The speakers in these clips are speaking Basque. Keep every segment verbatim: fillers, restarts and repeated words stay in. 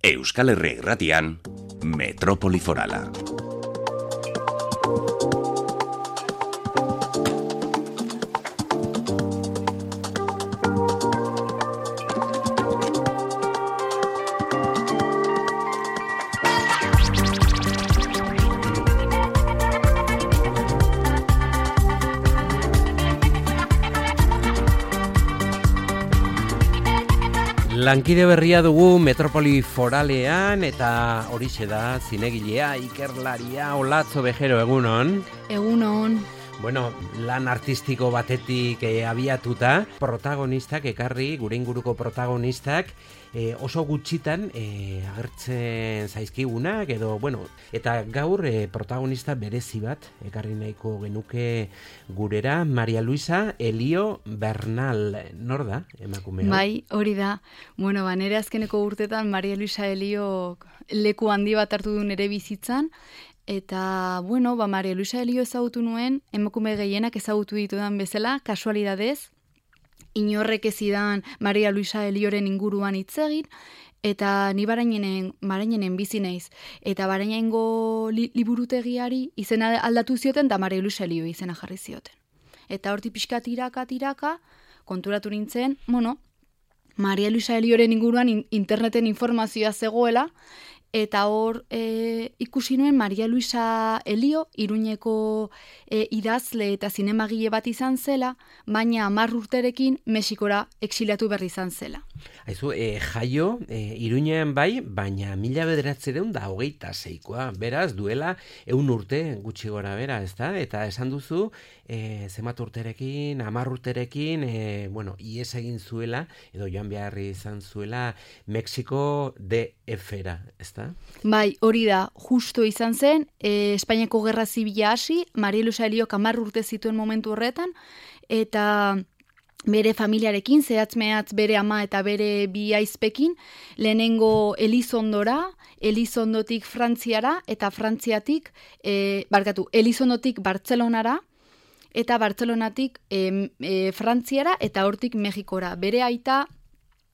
Euskal Herria Irratian, Metropoli Forala. Lankide berria dugu Metropoli Foralean eta horixe da zinegilea, ikerlaria, Olatzo Bejero, egunon. Egunon. Bueno, lan artistiko batetik eh, abiatuta, protagonistak, ekarri, gure inguruko protagonistak, eh, oso gutxitan eh, agertzen zaizkigunak, edo, bueno, eta gaur eh, protagonista berezi bat, ekarri nahiko genuke gurera, Maria Luisa Elio Bernal, nor da, emakumea? Bai, hori da. Bueno, ba, nire azkeneko urtetan Maria Luisa Elio leku handi bat hartu du nire bizitzan, eta, bueno, ba, Maria Luisa Elio ezagutu nuen, emakume gehienak ezagutu ditudan bezala, kasualidadez, inorrek ezidan Maria Luisa Elioren inguruan hitz egin, eta ni barainenen, barainenen bizi naiz. Eta barainengo li, liburutegiari izena aldatu zioten, da Maria Luisa Elio izena jarri zioten. Eta horti pixka tiraka, tiraka, konturatu nintzen, bueno, Maria Luisa Elioren inguruan in, interneten informazioa zegoela, eta hor e, ikusi nuen Maria Luisa Elio, Iruñeko e, idazle eta zinemagile bat izan zela, baina hamar urterekin Mexikora exiliatu berri izan zela. Aizu, e, jaio, e, Iruñean bai, baina mila bederatziehun eta hogeita seikoa, beraz, duela ehun urte gutxi gora bera, ezta? Eta esan duzu, e, zenbat urterekin, hamar urterekin, e, bueno, ies egin zuela, edo joan beharri izan zuela, Mexiko D F-era, ezta? Bai, hori da, justo izan zen, e, Espainiako Gerra Zibila hasi, Maria Luisa Eliok hamar urte zituen momentu horretan, eta bere familiarekin, zehatz-mehatz bere ama eta bere bi aizpekin, lehenengo Elizondora, Elizondotik Frantziara, eta Frantziatik, e, barkatu, Elizondotik Bartzelonara, eta Bartzelonatik e, e, Frantziara, eta hortik Mexikora. Bere aita,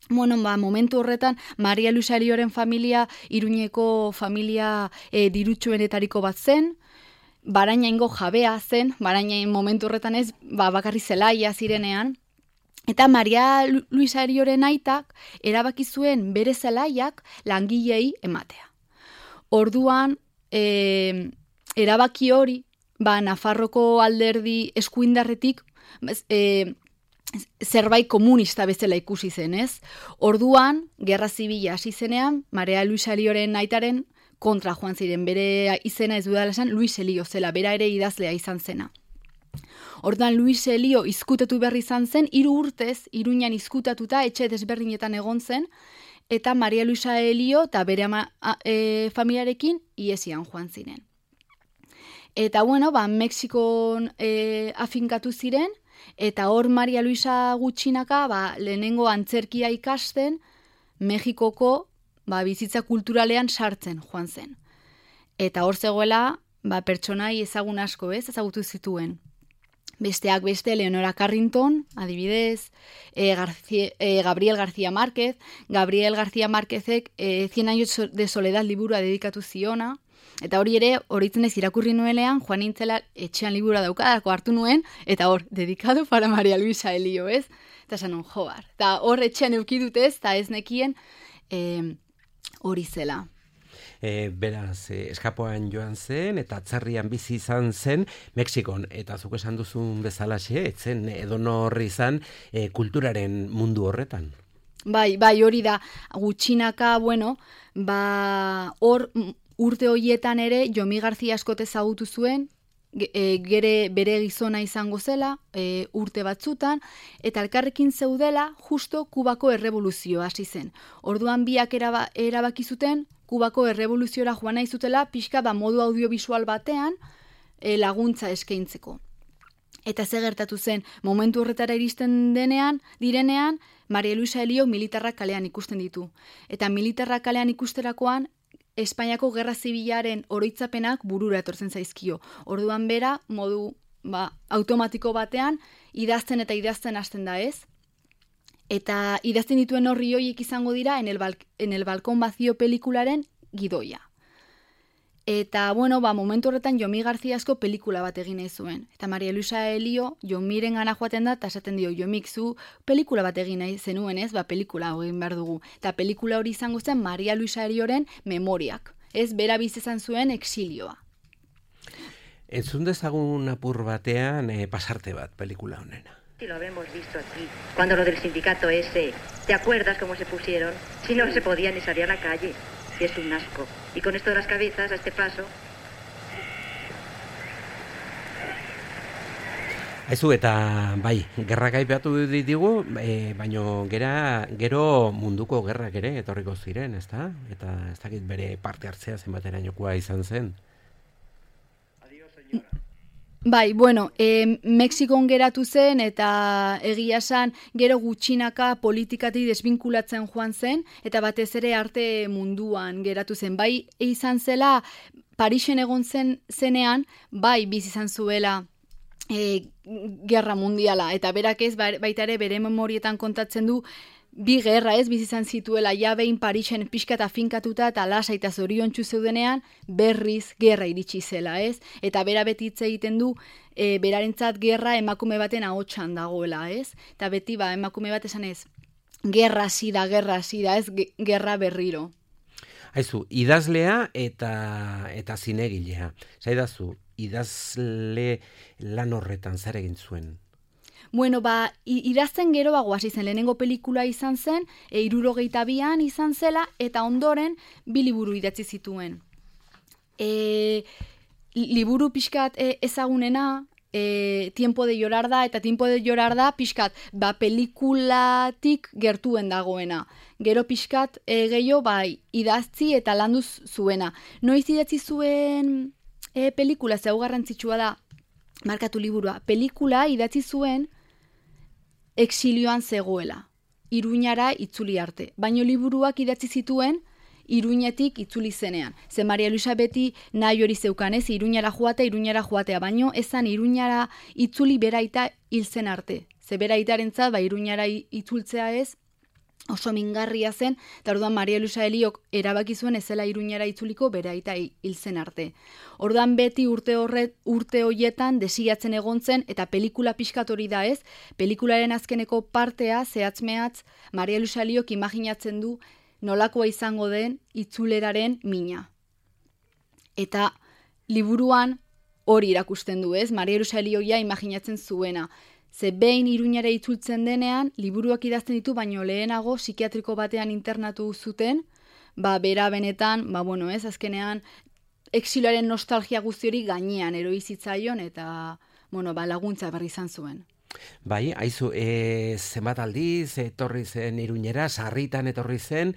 bueno, ba, momentu horretan, Maria Luisa Elioren familia, Iruñeko familia e, dirutsuenetariko bat zen, Barainaingo jabea zen, Barainain momentu horretan ez, ba, bakarri zelaia zirenean, eta Maria Luisa Elioren aitak erabaki zuen bere zelaiak langilei ematea. Orduan, e, erabaki hori, ba, Nafarroko alderdi eskuindarretik, e, zerbait komunista bezala ikusi zen, ez? Orduan, Gerra Zibila hasi zenean, Maria Luisa Elioren aitaren kontra joan ziren, bere izena ez dudala esan, Luis Elio zela, bera ere idazlea izan zena. Orduan, Luis Elio izkutatu berri izan zen, hiru urtez, Iruñan izkutatuta, etxe desberdinetan egon zen, eta Maria Luisa Elio eta bere ama, a, e, familiarekin iesian joan ziren. Eta, bueno, ba, Mexikon e, afinkatu ziren, eta hor Maria Luisa gutxinaka, ba, lehenengo antzerkia ikasten, Mexikoko ba, bizitza kulturalean sartzen joan zen. Eta hor zegoela, ba, pertsonai ezagun asko, ez, ezagutu zituen. Besteak beste, Leonora Carrington, adibidez, e, García, e, Gabriel García Márquez, Gabriel García Márquezek e, Cien años de soledad liburua dedikatu ziona, eta hori ere, horitzen ez irakurri nuelean, joan nintzela etxean libura daukadako hartu nuen, eta hor, dedikado para Maria Luisa Elio, ez? Eta esan joar. Eta hor etxean eukidutez, eta ez nekien e, hori zela. E, beraz, e, eskapoan joan zen, eta atzerrian bizi izan zen, Mexikon, eta zuk esan duzun bezalaxe, etzen edonorri izan e, kulturaren mundu horretan. Bai, bai, hori da, gutxinaka, bueno, ba, hor urte horietan ere, Jomi García askote ezagutu zuen, e, gere bere gizona izango zela, e, urte batzutan, eta elkarrekin zeudela, justo Kubako errevoluzioa hasi zen. Orduan biak eraba, erabaki zuten, Kubako errevoluziora joan nahi zutela, pixka da modu audiovisual batean e, laguntza eskaintzeko. Eta ze gertatu zen, momentu horretara iristen denean, direnean, Maria Luisa Elio militarrak kalean ikusten ditu. Eta militarrak kalean ikusterakoan, Espainiako Gerra Zibilaren oroitzapenak burura etortzen zaizkio. Orduan bera, modu ba, automatiko batean, idazten eta idazten hasten da ez. Eta idazten dituen horri horiek izango dira en el, bal, en el balkon vacío pelikularen gidoia. Eta, bueno, ba, momentu horretan Jomi Garziasko pelikula bat egin nahi zuen. Eta Maria Luisa Elio Jomiren gana joaten da, eta esaten dio, Jomik, zu pelikula bat egin nahi zenuen, ez? Ba, pelikula egin behar dugu. Eta pelikula hori izango zen Maria Luisa Elioren memoriak. Ez, bera bizizan zuen exilioa. Entzun dezagun apur batean eh, pasarte bat pelikula honena. Si lo habemos visto aquí, cuando lo del sindicato ese, ¿te acuerdas cómo se pusieron? Si no se podía ni salir a la calle. Y es un asco. Y con esto de las cabezas, a este paso... Aizu, eta bai, gerrak aipatu ditugu, e, baino gera, gero munduko gerrak ere etorriko ziren, ezta? Eta ez dakit bere parte hartzea zenbaterainokoa izan zen. Bai, bueno, e, Mexikon geratu zen eta egia esan gero gutxinaka politikatik desbinkulatzen joan zen eta batez ere arte munduan geratu zen. Bai, izan zela Parisen egon zen zenean, bai bizi izan zuela e, gerra mundiala eta berak ez baita ere bere memorietan kontatzen du bi gerra ez bizi izan zituela ja behin Parisen pixka eta finkatuta eta lasa eta zoriontsu zeudenean berriz gerra iritsi zela, ez? Eta bera beti hitz egiten du e, berarentzat gerra emakume baten ahotsan dagoela, ez? Eta beti ba emakume bat esan ez gerra hasi da, gerra hasi da, ez gerra berriro. Aizu, idazlea eta eta zinegilea. Zaidazu, idazle lan horretan zer egin zuen? Bueno, ba, idazten gero bago hasi zen, lehenengo pelikula izan zen, e, hirurogeita bian izan zela, eta ondoren bi liburu idatzi zituen. E, liburu pixkat e, ezagunena, e, Tiempo de llorar da, eta Tiempo de llorar da pixkat, ba, pelikulatik gertuen dagoena. Gero pixkat e, gehiago, bai, idaztzi eta landuz zuena. Noiz idatzi zuen e, pelikula, zeu garrantzitsua da, markatu liburua, pelikula idatzi zuen exilioan zegoela, Iruñara itzuli arte. Baino liburuak idatzi zituen Iruñetik itzuli zenean. Ze Maria Luisa beti nahi hori zeukan, ez, Iruñara joatea, Iruñara joatea, baino ezan Iruñara itzuli beraita hil zen arte. Ze beraitarentzat, ba, Iruñara itzultzea ez, oso mingarria zen, eta orduan Maria Luisa Eliok erabaki zuen ezela Iruñara itzuliko beraita hil zen arte. Orduan beti urte horret, urte hoietan desiatzen egon zen, eta pelikula pixkat hori da ez, pelikularen azkeneko partea, zehatz-mehatz, Maria Luisa Eliok imaginatzen du nolakoa izango den itzuleraren mina. Eta liburuan hori irakusten du ez, Maria Luisa Elioia imaginatzen zuena. Ze behin Iruñara itzultzen denean, liburuak idazten ditu, baino lehenago psikiatriko batean internatu zuten, ba, bera benetan, ba, bueno, ez, azkenean, exilioaren nostalgia guzti hori gainean eroizitzaion eta, bueno, ba, laguntza berri izan zuen. Bai, aizu, e, zenbat aldiz, etorri zen Iruñera, sarritan etorri zen,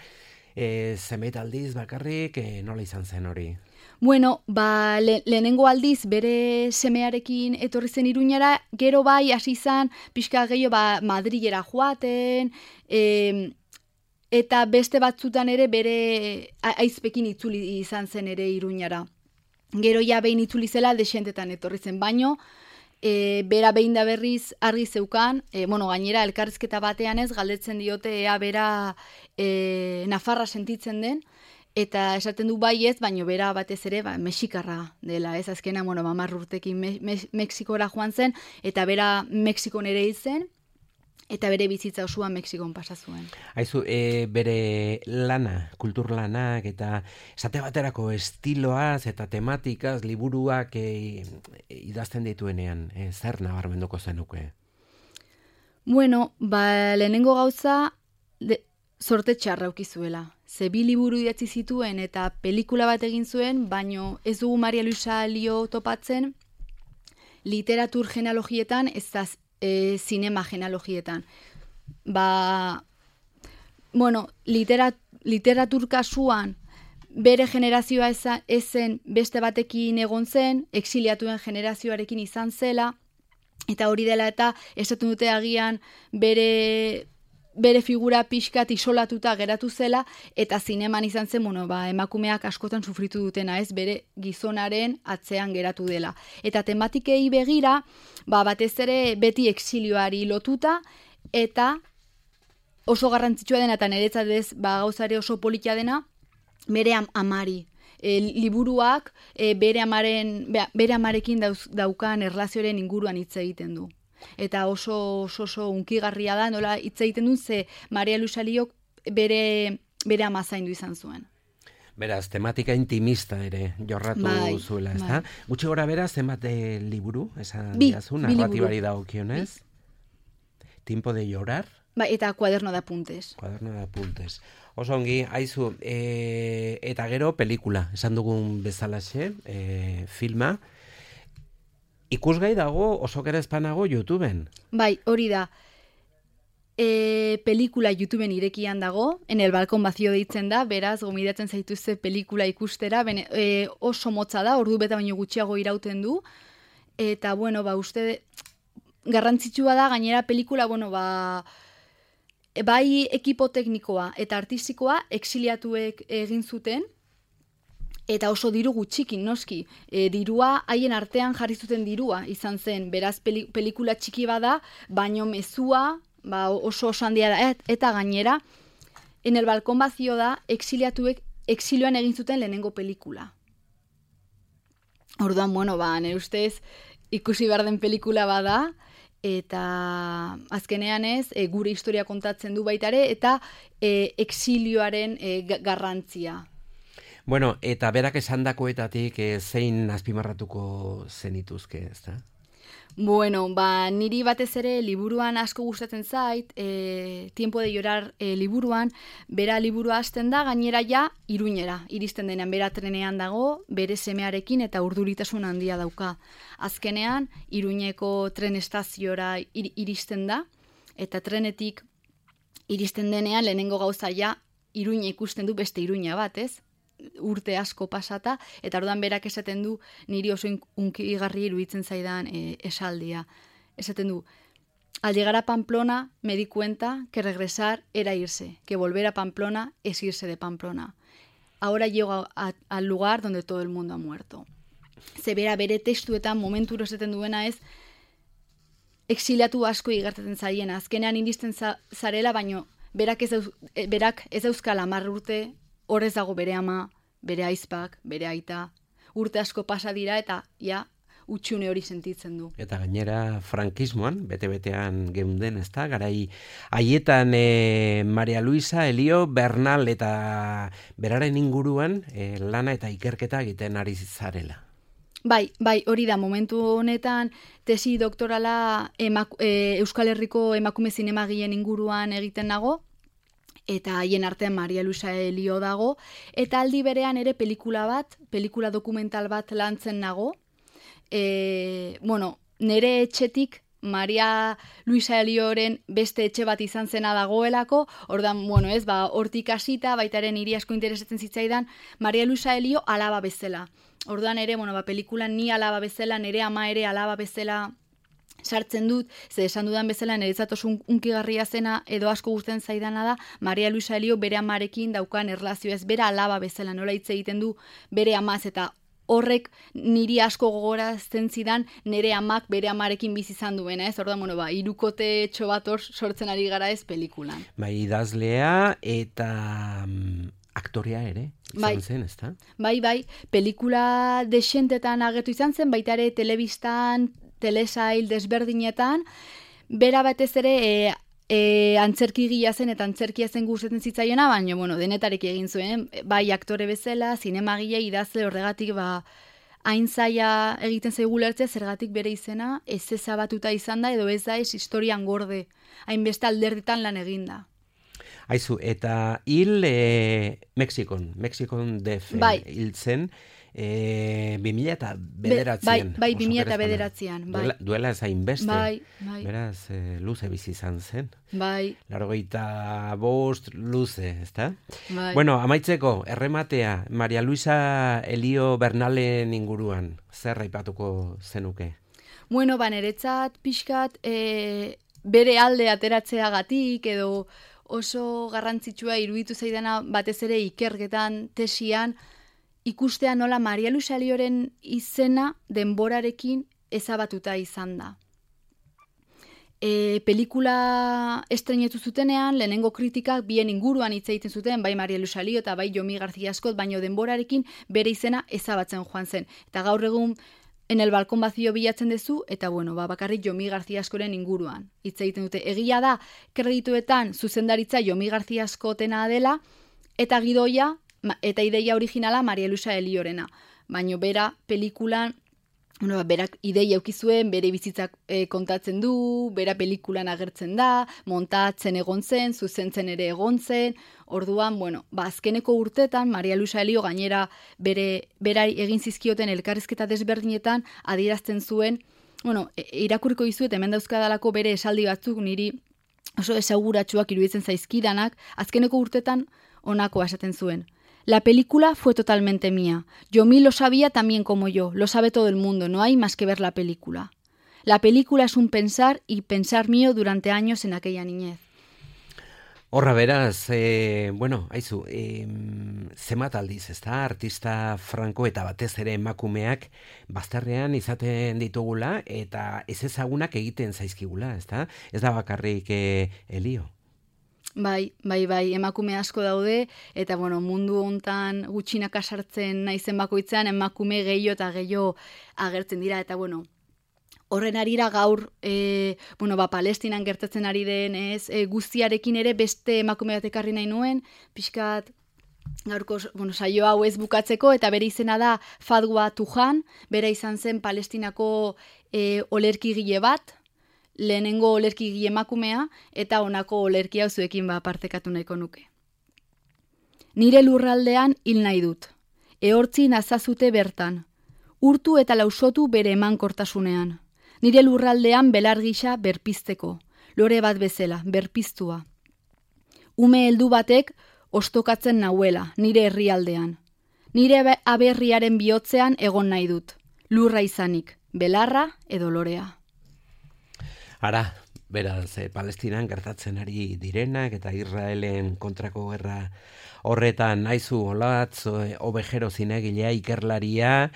e, zenbait aldiz bakarrik, e, nola izan zen hori? Bueno, ba, le, lehenengo aldiz bere semearekin etorri zen Iruñara, gero bai hasi izan pixka gehiago ba, Madrilera joaten, e, eta beste batzutan ere bere aizpekin itzuli izan zen ere Iruñara. Gero ja behin itzuli zela desentetan etorri zen, baino, e, bera behin da berriz argi zeukan, e, bueno, gainera elkarrizketa batean ez, galdetzen diote ea bera e, Nafarra sentitzen den, eta esaten du bai ez, baino bera batez ere ba, mexikarra dela, ez azkena, bueno, hamar urtekin me, me, Mexikora joan zen, eta bera Mexikon ere hil zen, eta bere bizitza osoa Mexikon pasa zuen. Aizu, e, bere lana, kultur lanak, eta esate baterako estiloaz eta tematikaz, liburuak e, idazten dituenean, e, zer nabarmenduko zenuke? Bueno, ba, lehenengo gauza, de, sorte txarra ukizuela. Ze bi liburu idatzi zituen eta pelikula bat egin zuen, baino ez dugu Maria Luisa Elio topatzen literatur genealogietan ez da e, zinema genealogietan. Ba, bueno, literat, literatur kasuan bere generazioa ezen beste batekin egon zen, exiliatuen generazioarekin izan zela, eta hori dela eta esaten dute agian bere... bere figura pixkat isolatuta geratu zela, eta zineman izan zen, bueno, ba, emakumeak askotan sufritu dutena, ez, bere gizonaren atzean geratu dela. Eta tematikei begira, ba, batez ere beti exilioari lotuta, eta oso garrantzitsua dena, eta niretzat ez, ba, gauzare oso politia dena, bere am amari. E, liburuak e, bere, amaren, be, bere amarekin dauz, daukan erlazioaren inguruan hitz egiten du. Eta oso oso, oso unkigarria da, nola hitz egiten duen, ze Maria Luisa Eliok bere, bere ama zaindu izan zuen. Beraz, tematika intimista ere jorratu bai, zuela, ez da? bai. Gutxi gora bera, zenbat eh, liburu, esan Bi, diazu, bi narratibari liburu. dagokionez? Tiempo de llorar, Ba, eta kuaderno de apuntes. cuaderno de apuntes. Oso ongi, haizu, e, eta gero pelikula, esan dugun bezalaxe, e, filma, ikusgai dago oso gerezpanago YouTubeen. Bai, hori da. E, pelikula YouTubeen irekian dago, en el balkon vacío deitzen da, beraz, gomidatzen zaituzte pelikula ikustera, bene, e, oso motza da, ordu beta baino gutxiago irauten du, eta, bueno, ba, uste, garrantzitsua da, gainera pelikula, bueno, ba, bai ekipo teknikoa eta artistikoa exiliatuek egin zuten, eta oso diru gutxikin, noski. E, dirua, haien artean jarri zuten dirua izan zen, beraz peli, pelikula txiki bada, baino mezua, ba, oso oso handia da, et, eta gainera, en el balkon vacío da, exiliatuek exilioan egin zuten lehenengo pelikula. Orduan, bueno, ba, nire ustez, ikusi behar den pelikula bada, eta azkenean ez, e, gure historia kontatzen du baitare, eta e, exilioaren e, garrantzia. Bueno, eta berak esandakoetatik e, zein azpimarratuko zenituzke, ez da? Bueno, ba, niri batez ere liburuan asko gustatzen zait, e, Tiempo de llorar e, liburuan, bera liburua hasten da, gainera ja, Iruñera, iristen denean, bera trenean dago, bere semearekin eta urduritasun handia dauka. Azkenean, Iruñeko tren estaziora ir, iristen da, eta trenetik iristen denean, lehenengo gauza ja, Iruña ikusten du beste Iruña bat, ez? Urte asko pasata, eta orduan berak esaten du, niri oso unkigarri iruditzen zaidan e, esaldia. Esaten du, al llegar a Pamplona me di cuenta que regresar era irse, que volver a Pamplona es irse de Pamplona. Ahora llego a, a, al lugar donde todo el mundo ha muerto. Ze bera bere testuetan momenturo esaten duena ez, exiliatu asko igartatzen zaiena, azkenean iristen za, zarela, baino berak ez, dauz, berak ez dauzkala hamar urte, horrez dago bere ama, bere aizpak, bere aita, urte asko pasa dira eta ja utxune hori sentitzen du. Eta gainera frankismoan, bete-betean geunden, ez da? Garai haietan e, Maria Luisa Elio Bernal eta beraren inguruan e, lana eta ikerketa egiten ari zarela. Bai, bai, hori da, momentu honetan tesi doktorala emak, e, Euskal Herriko emakume zinemagien inguruan egiten nago, eta haien artean Maria Luisa Elio dago, eta aldi berean ere pelikula bat, pelikula dokumental bat lantzen nago. E, bueno, nere etxetik Maria Luisa Elioren beste etxe bat izan zena dagoelako, ordan, bueno, ez, ba, hortik hasita, baitaren hiri asko interesatzen zitzaidan, Maria Luisa Elio alaba bezala. Ordan ere, bueno, ba, pelikulan ni alaba bezala, nere ama ere alaba bezala sartzen dut, ze esan dudan bezala niretzat oso unkigarria zena edo asko gustatzen zaidana da Maria Luisa Elio bere amarekin daukan erlazio, ez bera alaba bezala, nola hitz egiten du bere amaz, eta horrek niri asko gogorazten zidan nire amak bere amarekin bizi izan duena, ez? Orduan, bueno, ba, hirukote etxo bat hor sortzen ari gara ez pelikulan. Bai, idazlea eta mm, aktorea ere izan bai. zen, ez da? Bai, bai, pelikula desentetan agertu izan zen, baita ere telebistan, telesail desberdinetan, bera batez ere e, e, antzerki gila zen eta antzerkia zen gustatzen zitzaiona, baina, bueno, denetarek egin zuen, bai aktore bezala, zinemagile, idazle, horregatik, ba, hain zaila egiten zaigu lertzea, zergatik bere izena, ez ezabatuta izan da, edo ez da ez historian gorde, hainbeste alderditan lan eginda. Aizu, eta hil e, Mexikon, Mexikon def bai. hil zen, e, bi mila eta bederatzean. Bai, bai, bi mila eta bederatzean. Bai. Duela, duela ezain beste. Bai, bai. Beraz, e, luze bizi izan zen. Bai. Largoita bost luze, ezta? Bai. Bueno, amaitzeko, errematea, Maria Luisa Elio Bernalen inguruan, zer aipatuko zenuke? Bueno, ba, niretzat pixkat e, bere alde ateratzeagatik edo oso garrantzitsua iruditu zaidana batez ere ikerketan, tesian, ikustea nola Maria Luisa Elioren izena denborarekin ezabatuta izan da. E, pelikula estrenetu zutenean, lehenengo kritikak bien inguruan hitz egiten zuten, bai Maria Luisa Elio eta bai Jomi García Askot, baino denborarekin bere izena ezabatzen joan zen. Eta gaur egun en el balkon bazio bilatzen duzu, eta bueno, ba, bakarrik Jomi García Askoren inguruan hitz egiten dute. Egia da, kredituetan zuzendaritza Jomi García Askotena dela, eta gidoia, eta ideia originala Maria Luisa Eliorena. Baino bera pelikulan, bueno, berak ideia eukizuen, bere bizitzak e, kontatzen du, bera pelikulan agertzen da, montatzen egon zen, zuzentzen ere egon zen, orduan, bueno, ba, azkeneko urtetan, Maria Luisa Elio gainera bere, berari egin zizkioten elkarrizketa desberdinetan adierazten zuen, bueno, e, irakurriko dizuet hemen dauzkadalako bere esaldi batzuk niri oso esaguratsuak iruditzen zaizkidanak, azkeneko urtetan honako esaten zuen. La película fue totalmente mía. Yomi lo sabía también como yo, lo sabe todo el mundo, no hay más que ver la película. La película es un pensar y pensar mío durante años en aquella niñez. Horra beraz, e, bueno, haizu, e, zemat aldiz, ez da, artista franko eta batez ere emakumeak bazterrean izaten ditugula eta ez ezagunak egiten zaizkigula, ez da? Ez da bakarrik e, Elio. Bai, bai, bai, emakume asko daude, eta bueno, mundu hontan gutxinaka sartzen naizen bakoitzean, emakume gehiago eta gehiago agertzen dira, eta bueno, horren arira gaur, e, bueno, ba, Palestinan gertatzen ari den, ez, e, guztiarekin ere beste emakume bat ekarri nahi nuen, pixkat, gaurko, bueno, saio hau ez bukatzeko, eta bere izena da Fadwa Tuhan, bera izan zen Palestinako e, olerkigile bat, lehenengo olerki emakumea eta honako olerki hau zuekin ba partekatu nahiko nuke. Nire lurraldean hil nahi dut. Ehortzi nazazute bertan. Urtu eta lausotu bere emankortasunean. Nire lurraldean belar gisa berpizteko. Lore bat bezala, berpiztua. Ume heldu batek ostokatzen nauela, nire herrialdean. Nire aberriaren bihotzean egon nahi dut. Lurra izanik, belarra edo lorea. Ara, beraz, eh, Palestinan gertatzen ari direnak eta Israelen kontrako gerra horretan naizu olatz, obejero zinegilea, ikerlaria,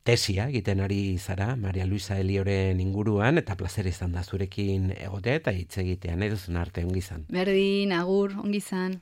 tesia egiten ari zara, Maria Luisa Elioren inguruan, eta plazer izan da zurekin egotea eta hitz egitean, eduzun arte, ongizan. Berdin, agur, ongizan.